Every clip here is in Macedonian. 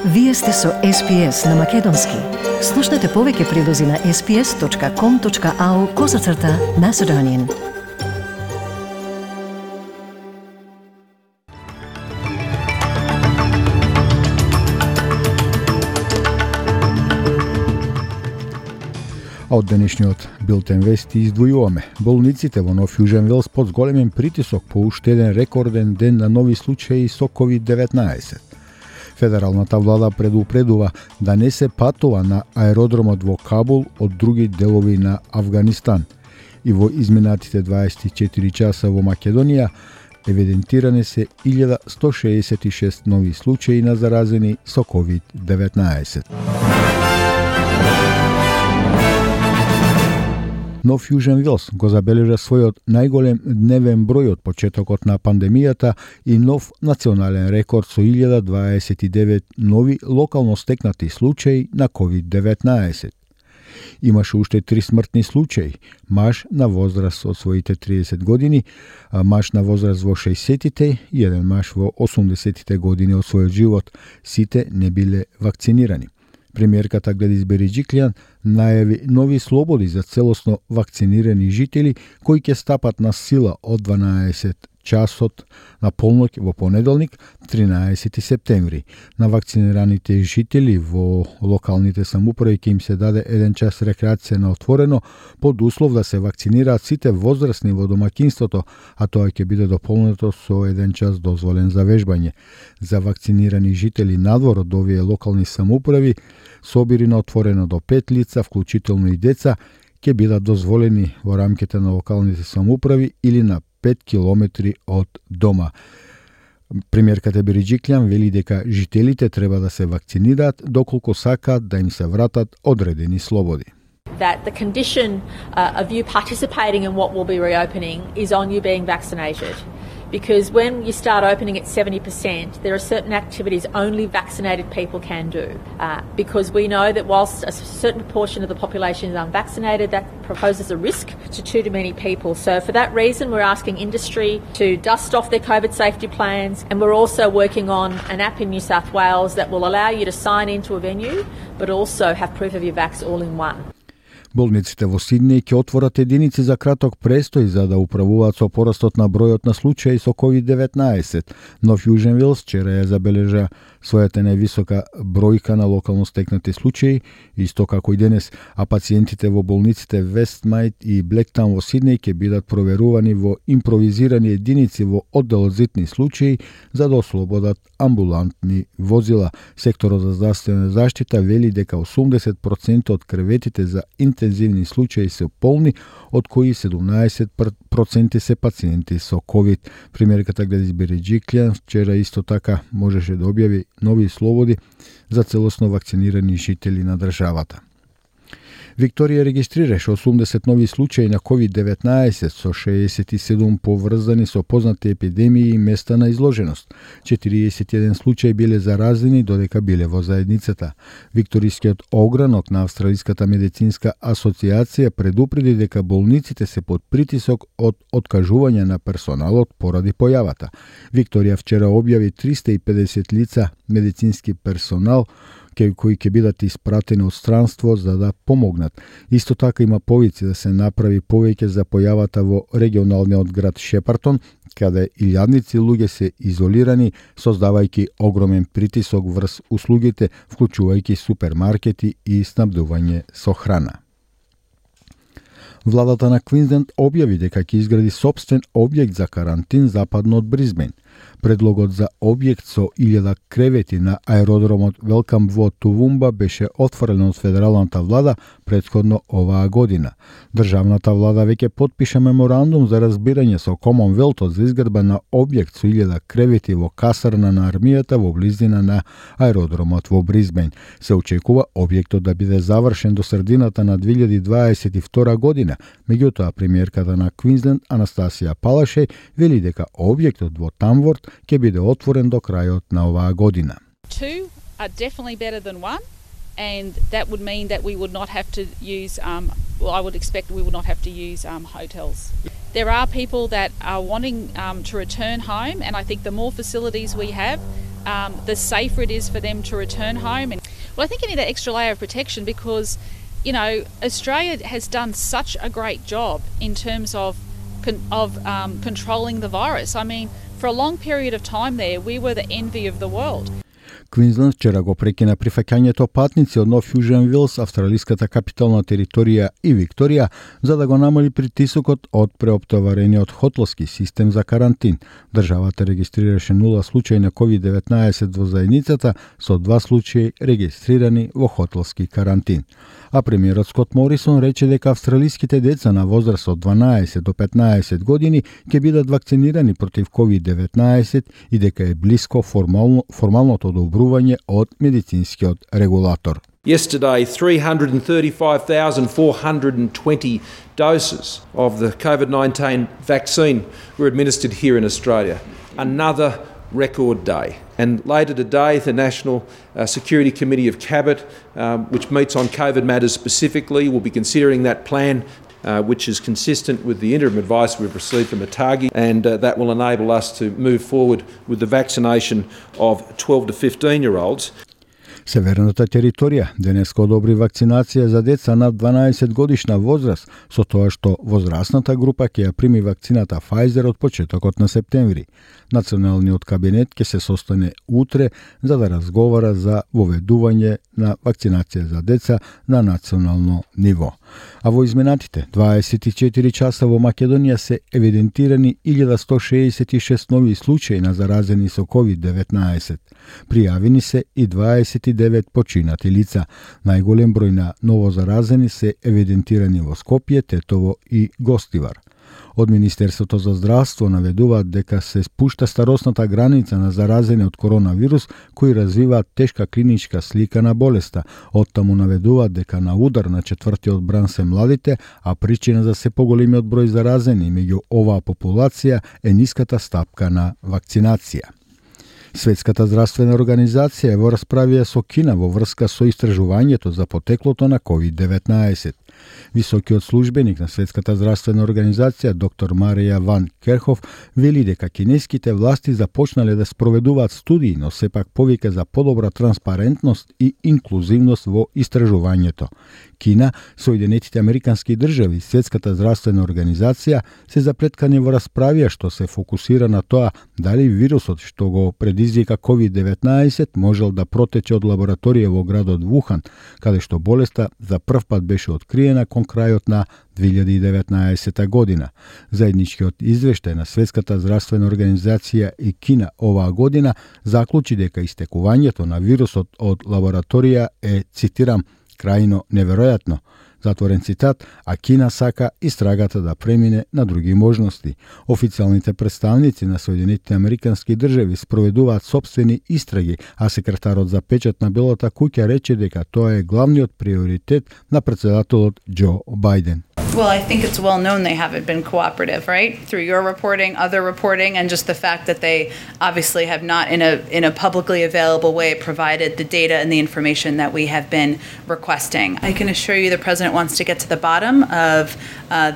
Вие сте со SPS на Македонски. Слушнете повеќе прилози на sps.com.au/Macedonian. А од денешниот билтен вести издвојуваме. Болниците во Нов Јужен Велс под зголемен притисок по уште еден рекорден ден на нови случаи со COVID-19. Федералната влада предупредува да не се патува на аеродромот во Кабул од други делови на Авганистан. И во изминатите 24 часа во Македонија евидентиране се 1166 нови случаи на заразени со COVID-19. Нов Јужен Велс го забележа својот најголем дневен број од почетокот на пандемијата и нов национален рекорд со 1029 нови локално стекнати случаи на COVID-19. Имаше уште 3 смртни случаи. Маж на возраст од своите 30 години, маж на возраст во 60-тите и еден маж во 80-тите години од својот живот. Сите не биле вакцинирани. Премиерката Гледис Бериџиклијан најави нови слободи за целосно вакцинирани жители кои ќе стапат на сила од 12 часот на полноќ во понеделник, 13 септември. На вакцинираните жители во локалните самоуправи ќе им се даде 1 час рекреација на отворено под услов да се вакцинираат сите возрастни во домаќинството, а тоа ќе биде дополнето со 1 час дозволен за вежбање. За вакцинирани жители надвор од овие локални самоуправи, собири на отворено до 5 лица, вклучително и деца, ќе бидат дозволени во рамките на локалните самоуправи или на 5 километри од дома. Премиерката Бериџиклијан вели дека жителите треба да се вакцинираат доколку сакаат да им се вратат одредени слободи. That the condition of you participating in what will be reopening is on you being vaccinated. Because when you start opening at 70%, there are certain activities only vaccinated people can do. Because we know that whilst a certain proportion of the population is unvaccinated, that poses a risk to too many people. So for that reason, we're asking industry to dust off their COVID safety plans, and we're also working on an app in New South Wales that will allow you to sign into a venue, but also have proof of your vax all in one. Болниците во Сиднеј ќе отворат единици за краток престој за да управуваат со порастот на бројот на случаи со COVID-19. Нов Јужен Велс вчера ја забележа својата највисока бројка на локално стекнати случаи, исто како и денес, а пациентите во болниците Вестмајт и Блектаун во Сиднеј ќе бидат проверувани во импровизирани единици во одделот за итни случаи за да ослободат амбулантни возила. Секторот за здравствена заштита вели дека 80% од креветите за интензивни случаи се полни, од кои 17% се пациенти со COVID. Премиерката Гледис Бериџиклијан вчера исто така можеше да објави нови слободи за целосно вакцинирани жители на државата. Викторија регистрираше 80 нови случаи на COVID-19 со 67 поврзани со познати епидемии и места на изложеност. 41 случаи биле заразени додека биле во заедницата. Викторискиот огранок на Австралиската медицинска асоциација предупреди дека болниците се под притисок од откажување на персоналот поради појавата. Викторија вчера објави 350 лица медицински персонал кои ќе бидат испратени од странство за да помогнат. Исто така има повици да се направи повеќе за појавата во регионалниот град Шепартон, каде илјадници луѓе се изолирани, создавајќи огромен притисок врз услугите, вклучувајќи супермаркети и снабдување со храна. Владата на Квинсленд објави дека ќе изгради сопствен објект за карантин западно од Брисбен. Предлогот за објект со 1000 кревети на аеродромот Велкам во Тувумба беше отфрлен од федералната влада претходно оваа година. Државната влада веќе потпиша меморандум за разбирање со Комонвелтот за изградба на објект со 1000 кревети во касарна на армијата во близина на аеродромот во Брисбен. Се очекува објектот да биде завршен до средината на 2022 година. Меѓутоа, премиерката на Квинсленд Анастасија Палаше вели дека објектот во Тамворт ќе биде отворен до крајот на оваа година. Two are definitely better than one, and that would mean that we would not have to use, I would expect we would not have to use hotels. There are people that are wanting to return home, and I think the more facilities we have, the safer it is for them to return home. And well, I think you need that extra layer of protection because, you know, Australia has done such a great job in terms of controlling the virus. I mean, for a long period of time there, we were the envy of the world. Квинсленд вчера го прекина прифаќањето патници од Нов Јужен Вилс, австралиската капитална територија и Викторија, за да го намали притисокот од преоптоварениот хотелски систем за карантин. Државата регистрираше 0 случаи на COVID-19 во заедницата, со 2 случаи регистрирани во хотелски карантин. А премиерот Скот Морисон рече дека австралиските деца на возраст од 12 до 15 години ќе бидат вакцинирани против COVID-19 и дека е блиско формалното одобрување од медицинскиот регулатор. Yesterday, 335,420 doses of the COVID-19 vaccine were administered here in Australia. Another record day. And later today, the National Security Committee of Cabinet, which meets on COVID matters specifically, will be considering that plan, which is consistent with the interim advice we've received from ATAGI, and that will enable us to move forward with the vaccination of 12 to 15-year-olds. Северната територија денеска одобри вакцинација за деца над 12 годишна возраст, со тоа што возрастната група ќе ја прими вакцината Pfizer од почетокот на септември. Националниот кабинет ќе се состане утре за да разговара за воведување на вакцинација за деца на национално ниво. А во изминатите 24 часа во Македонија се евидентирани 1166 нови случаи на заразени со COVID-19. Пријавени се и 29 починати лица. Најголем број на новозаразени се евидентирани во Скопје, Тетово и Гостивар. Од Министерството за здравство наведуваат дека се спушта старосната граница на заразени од коронавирус кои развиваат тешка клиничка слика на болеста. Оттаму наведуваат дека на удар на четвртиот бран се младите, а причина за се поголемиот број заразени меѓу оваа популација е ниската стапка на вакцинација. Светската здравствена организација е во расправија со Кина во врска со истражувањето за потеклото на COVID-19. Високиот службеник на Светската здравствена организација, доктор Марија Ван Керхов, вели дека кинеските власти започнале да спроведуваат студии, но сепак повика за подобра транспарентност и инклузивност во истражувањето. Кина, Соединетите Американски држави и Светската здравствена организација се заплеткани во расправија што се фокусира на тоа дали вирусот што го предизвика COVID-19 можел да протече од лабораторија во градот Вухан, каде што болеста за прв пат беше откриена кон крајот на 2019 година. Заедничкиот извештај на Светската здравствена организација и Кина оваа година заклучи дека истекувањето на вирусот од лабораторија е, цитирам, крајно неверојатно, затворен цитат, а Кина сака истрагата да премине на други можности. Официјалните представници на Соединетите Американски држави спроведуваат сопствени истраги, а секретарот за печат на Белата куќа рече дека тоа е главниот приоритет на председателот Џо Бајден. Well, I think it's well known they haven't been cooperative, right? Through your reporting, other reporting, and just the fact that they obviously have not, in a publicly available way, provided the data and the information that we have been requesting. I can assure you the President wants to get to the bottom of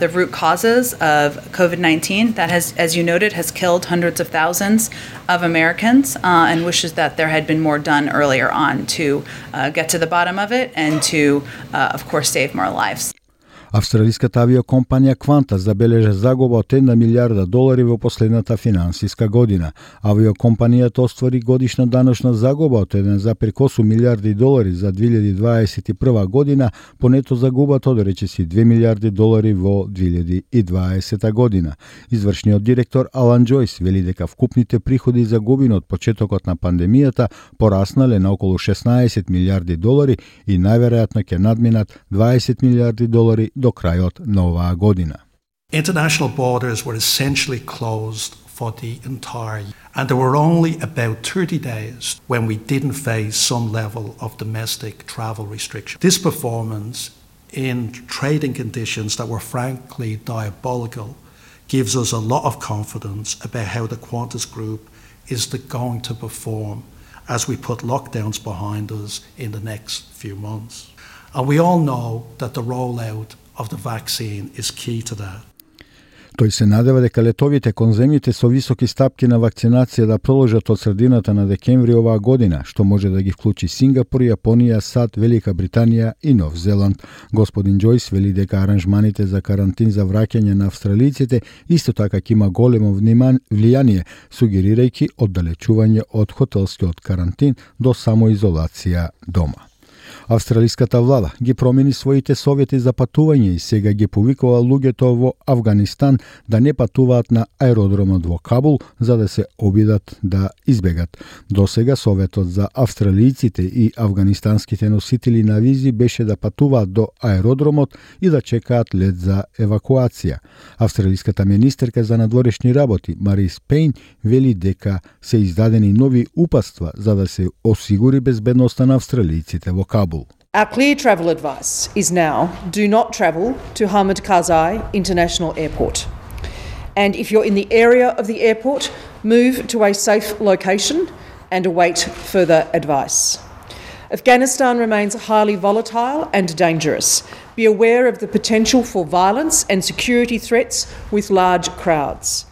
the root causes of COVID-19 that has, as you noted, has killed hundreds of thousands of Americans and wishes that there had been more done earlier on to get to the bottom of it and to, of course, save more lives. Австралиската авиокомпанија Qantas забележа загуба од $1 милиарда во последната финансиска година. Авиокомпанијата оствари годишна даночна загуба од $1,8 милиарди за 2021 година, понето загубата од речиси $2 милиарди во 2020 година. Извршниот директор Алан Џојс вели дека вкупните приходи и загубени од почетокот на пандемијата пораснале на околу $16 милиарди и најверојатно ќе надминат $20 милиарди до крајот на оваа година. International borders were essentially closed for the entire year, and there were only about 30 days when we didn't face some level of domestic travel restriction. This performance in trading conditions that were frankly diabolical gives us a lot of confidence about how the Qantas Group is going to perform as we put lockdowns behind us in the next few months. And we all know that the rollout of the vaccine is key to that. Тој се надева дека летовите кон земјите со високи стапки на вакцинација да продолжат од средината на декември оваа година, што може да ги вклучи Сингапур, Јапонија, САД, Велика Британија и Нов Зеланд. Господин Џојс вели дека аранжманите за карантин за враќање на австралиците исто така ќе има големо влијание, сугерирајќи оддалечување од хотелскиот карантин до самоизолација дома. Австралиската влада ги промени своите совети за патување и сега ги повикува луѓето во Авганистан да не патуваат на аеродромот во Кабул за да се обидат да избегат. Досега советот за австралиците и авганистанските носители на визи беше да патуваат до аеродромот и да чекаат лет за евакуација. Австралиската министерка за надворешни работи Марис Пейн вели дека се издадени нови упатства за да се осигури безбедноста на австралиците во Кабул. Our clear travel advice is now do not travel to Hamid Karzai International Airport. And if you're in the area of the airport, move to a safe location and await further advice. Afghanistan remains highly volatile and dangerous. Be aware of the potential for violence and security threats with large crowds.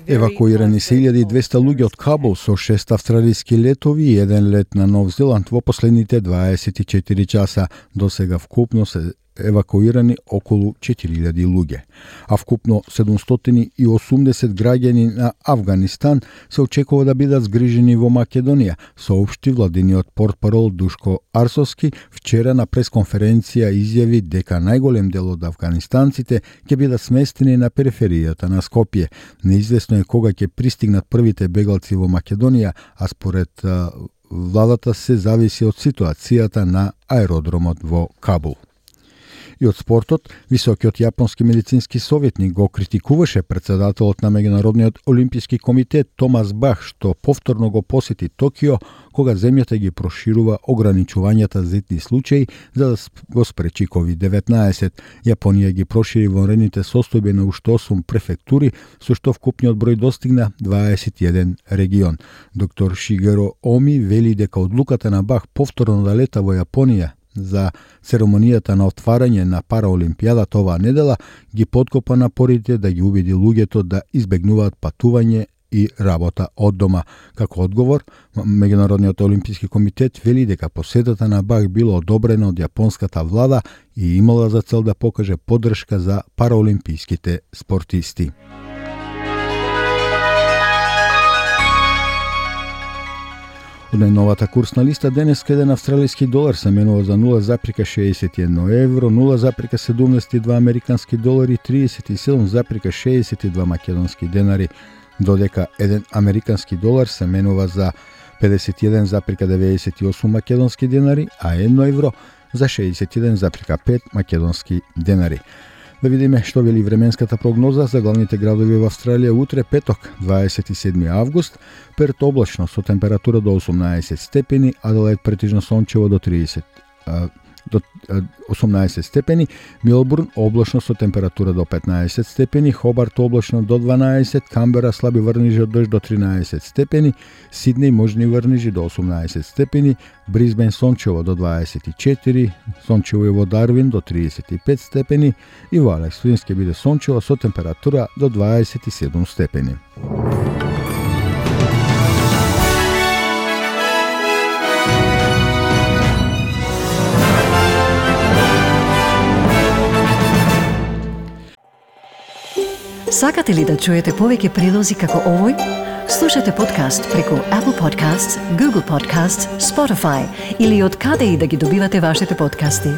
Евакуирани се 1200 луѓе од Кабул со 6 австралиски летови и 1 лет на Нов Зеланд во последните 24 часа. Досега вкупно се евакуирани околу 4000 луѓе. А вкупно 780 граѓани на Авганистан се очекува да бидат згрижени во Македонија, соопшти владиниот портпарол Душко Арсовски вчера на пресконференција изјави дека најголем дел од авганистанците ќе бидат сместени на периферијата на Скопје. Неизвестно е кога ќе пристигнат првите бегалци во Македонија, а според владата се зависи од ситуацијата на аеродромот во Кабул. И од спортот, високиот јапонски медицински советник го критикуваше председателот на Меѓународниот олимписки комитет Томас Бах, што повторно го посети Токио, кога земјата ги проширува ограничувањата за итни случаи за да го спречи COVID-19. Јапонија ги прошири вонредните состојби на уште 8 префектури, со што вкупниот број достигна 21 регион. Доктор Шигеро Оми вели дека одлуката на Бах повторно да лета во Јапонија за церемонијата на отварање на Параолимпијадата оваа недела ги подкопа напорите да ги убеди луѓето да избегнуваат патување и работа од дома. Како одговор, Меѓународниот олимписки комитет вели дека посетата на Бах била одобрена од јапонската влада и имала за цел да покаже поддршка за параолимписките спортисти. Од најновата курсна листа денес еден австралиски долар се менува за 0,61 евро, 0,72 американски долари, 37,62 македонски денари, додека еден американски долар се менува за 51,98 македонски денари, а 1 евро за 61,5 македонски денари. Да видиме што вели временската прогноза за главните градови во Австралија утре петок, 27 август, Перт облачно со температура до 18 степени, Аделаид претежно сончево до 18 степени, Мелбурн облачно со температура до 15 степени, Хобарт облачно до 12, Камбера слаби врнежи од дожд до 13 степени, Сиднеј можни врнежи до 18 степени, Брисбен сончево до 24, сончево и во Дарвин до 35 степени и во Алекс Флинс ќе биде сончево со температура до 27 степени. Сакате ли да чуете повеќе прилози како овој? Слушате подкаст преку Apple Podcasts, Google Podcasts, Spotify или од каде и да ги добивате вашите подкасти.